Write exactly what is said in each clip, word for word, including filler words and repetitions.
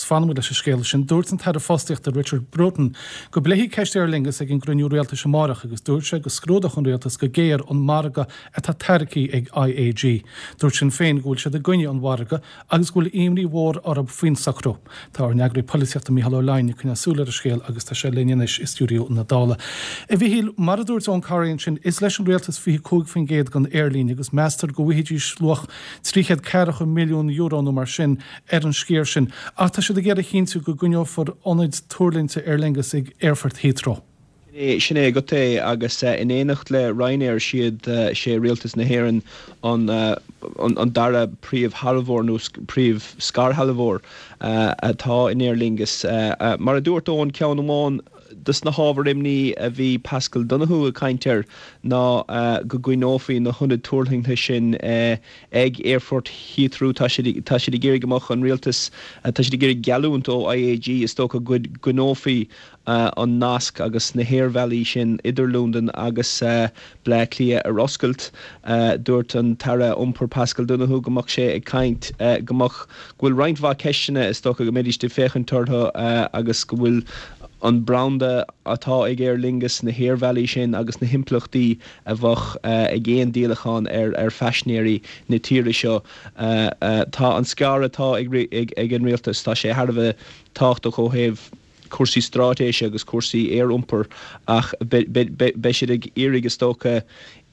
fanfaimid leis an scéal sin. Dúirt an tAire Fostaíochta Richard Bruton go bpléifí ceist Aer Lingus ag an gcruinniú rialtais amárach agus dúirt sé go scrúdódh an rialtas go géar an margadh atá tairgthe ag IAG. Dúirt Sinn Féin go bhfuil siad i gcoinne an mhargaidh agus go bhfuil imní mhór orthu faoin socrú. Tá ár n-eagraí polaitíochta Mícheál Ó Leidhin ag coinneáil súil ar an scéal agus tá sé linn anois i stiúideo na Dála. A Mhíchíl mar a dúirt Eoghan Corry sin is leis an rialtas fiche cúig faoin gcéad den aerlíne agus meastar go bhfaighidís luach trí chéad ceathracha milliún euro nó mar sin ar an sciar sin, ach tá siad ag iarraidh a chinntiú go gcoinneofar ionaid tuirlingthe Aer Lingus ag Aerfort Heathrow. Sin é agat é agus in éineacht le Ryanair siad sé rialtas na hÉireann an, an, an dara príomhshealbhóir nó príomh-scairshealbhóir atá in Aer Lingus. Mar a dúirt Eoin ceann amháin dos na hábhair imní a bhí Paschal Donohoe ag caint air ná go gcoinneofaí na hionaid tuirlingthe sin ag Aerfort Heathrow tá siad tá siad ag iarraidh go mbeadh an rialtas tá siad ag iarraidh geallúint ó IAG is dócha go gcoinneofaí an nasc agus na haerbhealaí sin idir Londain agus Bleá Cliath ar oscailt. Dúirt an tAire Iompair Paschal Donohoe go mbeadh sé ag caint go mbeadh go bhfuil roinnt mhaith ceisteanna is dócha go mbeidís ag féachaint orthu agus go bhfuil an branda atá ag Aer Lingus na haerbhealaí sin agus na himpleachtaí a bheadh ag aon díolachán ar ar phaisinéirí na tíre seo. Tá an scair atá ag ag an rialtas tá sé thar a bheith tábhachtach ó thaobh cúrsaí straitéise agus cúrsaí aeriompair ach beidh siad ag iarraidh is dócha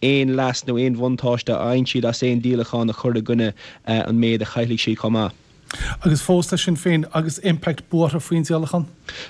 aon leas nó aon bhuntáiste a fhaigheann siad as aon díolachán a chur i gcoinne an méid a chaillfidh siad chomh maith. Agus fós tá Sinn Féin agus Impact buartha faoin díolachán?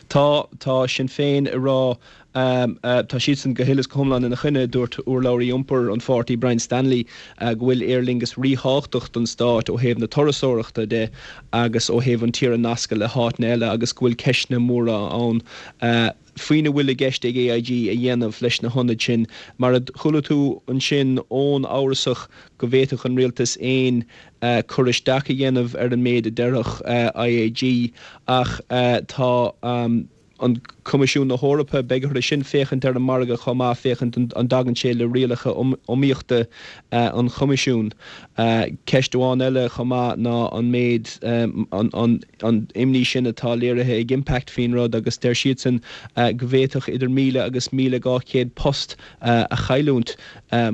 Tá tá Sinn Féin ag rá um, uh, tá siadsan go huile is go hiomlán ina choinne dúirt urlabhraí iompair an pháirtí Brian Stanley uh, go bhfuil Aer Lingus ríthábhachtach don stát ó thaobh na turasóireachta de agus ó thaobh an tír a nascadh le háiteanna eile agus go bhfuil ceisteanna móra ann uh, faoina bhfuil i gceist ag AIG a dhéanamh leis na hionaid sin mar a chuala tú ansin ón amhrasach go bhféadfadh an rialtas aon uh, cur isteach a dhéanamh ar an méid a déarfadh uh, IAG ach uh, tá um, an Coimisiún na hEorpa beidh orthu sin féachaint ar an margadh chomh maith féachaint an dtagann sé le rialacha iomaíochta uh, an Choimisiúin. Uh, ceist amháin eile chomh maith ná an méid um, an, an, an imní sin atá léirithe ag Impact faoin rud agus deir siadsan uh, go bhféadfadh idir míle agus míle dhá chéad post uh, a chailliúint uh,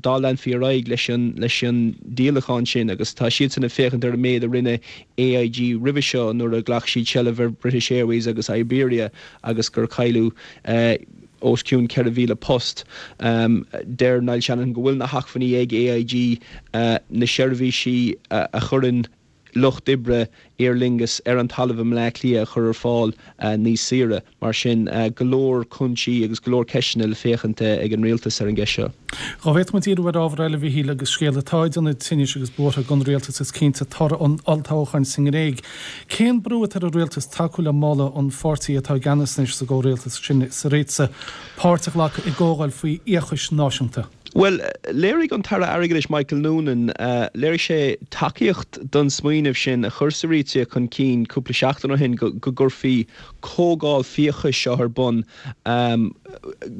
dá leanfaí ar aghaidh leis an leis an díolachán sin agus tá siadsan ag féachaint ar an méid a rinne AIG roimhe seo nuair a ghlac siad seilbh ar British Airways agus Iberia agus gur cailleadh uh, os cionn ceithre mhíle post um, deir Niall Shanahan go bhfuil na hacmhainní ag AIG uh, na seirbhísí uh, a chuireann lucht oibre Aer Lingus ar an talamh i mBleá Cliath a chur ar fáil uh, níos saoire mar sin uh, go leor cúinsí agus go leor ceisteanna le féachaint ag an rialtas ar an gceist seo. Dá bhféadfadh muid díriú ar ábhar eile a Mhíchíl agus scéal atá ag déanamh tinnis agus buartha don rialtas is cinnte toradh an olltoghcháin sa nGréig. Cén brú atá ar an rialtas tacú le moladh an pháirtí atá i gceannas anois sa gcomhrialtas sin Syriza páirt a ghlacadh i gcomhdháil faoi fhiachas náisiúnta. Well, léirigh an tAire Airgeadais Michael Noonan uh, léirigh sé tacaíocht don smaoineamh sin a chuir Syriza chun cinn cúpla seachtain ó shin go, go gcuirfí comhdháil fiachais seo ar bun um,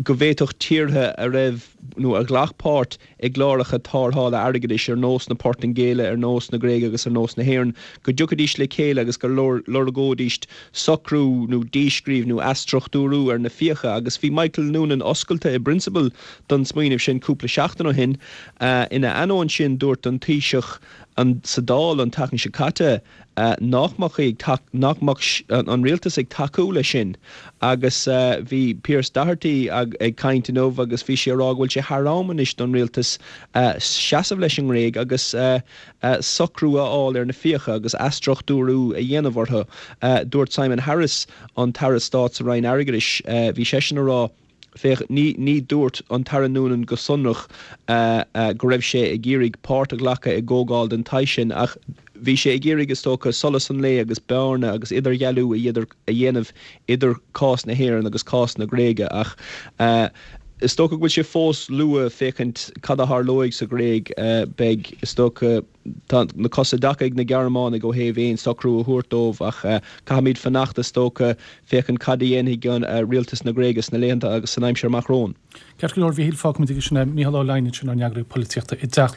go bhféadfadh tíortha a raibh nó a ghlac páirt i gcláracha tarrthála airgeadais ar nós na Portaingéile ar nós na Gréige agus ar nós na hÉireann go dtiocfaidís le chéile agus go lorgóidís socrú nó díscríobh nó athstruchtúrú ar na fiacha agus bhí Michael Noonan oscailte i bprionsabal don smaoineamh sin cúpla seachtain ó shin uh, ina ainneoin sin dúirt an Taoiseach an sa Dáil an tseachtain seo caite uh, nach mbeadh nach mbeadh an rialtas ag tacú le sin agus uh, bhí Pearse Doherty ag, ag caint inniu agus bhí sé ag rá go bhfuil sé thar am anois don rialtas uh, seasamh leis an nGréig agus uh, uh, socrú a fháil ar na fiacha agus athstruchtúrú a dhéanamh orthu. Uh, dúirt Simon Harris an tAire Stáit sa Roinn Airgeadais uh, bhí sé sin ag rá Féach ní ní dúirt an tAire Noonan go sonrach uh, uh, go raibh sé ag iarraidh páirt a ghlacadh i gcomhdháil den tsaghas sin ach bhí sé ag iarraidh is dócha solas an lae agus bearna agus idirdhealú a a dhéanamh idir cás na hÉireann agus cás na Gréige ach uh, is dócha go bhfuil sé fós luath féachaint cad a tharlóidh sa Ghréig uh, beidh is dócha tá na cosa deacair ag na Gearmánaigh ó thaobh aon socrú a thabhairt dóibh ach uh, caithfimid fanacht is dócha féachaint cad a dhéanfaidh an uh, rialtas na Gréige sna laethanta agus san aimsir amach romhainn. Ceart go leor a Mhíchíl fágfaimid sin é Mícheál Ó Leidhin sin ár n-eagraí polaitíochta i dTeach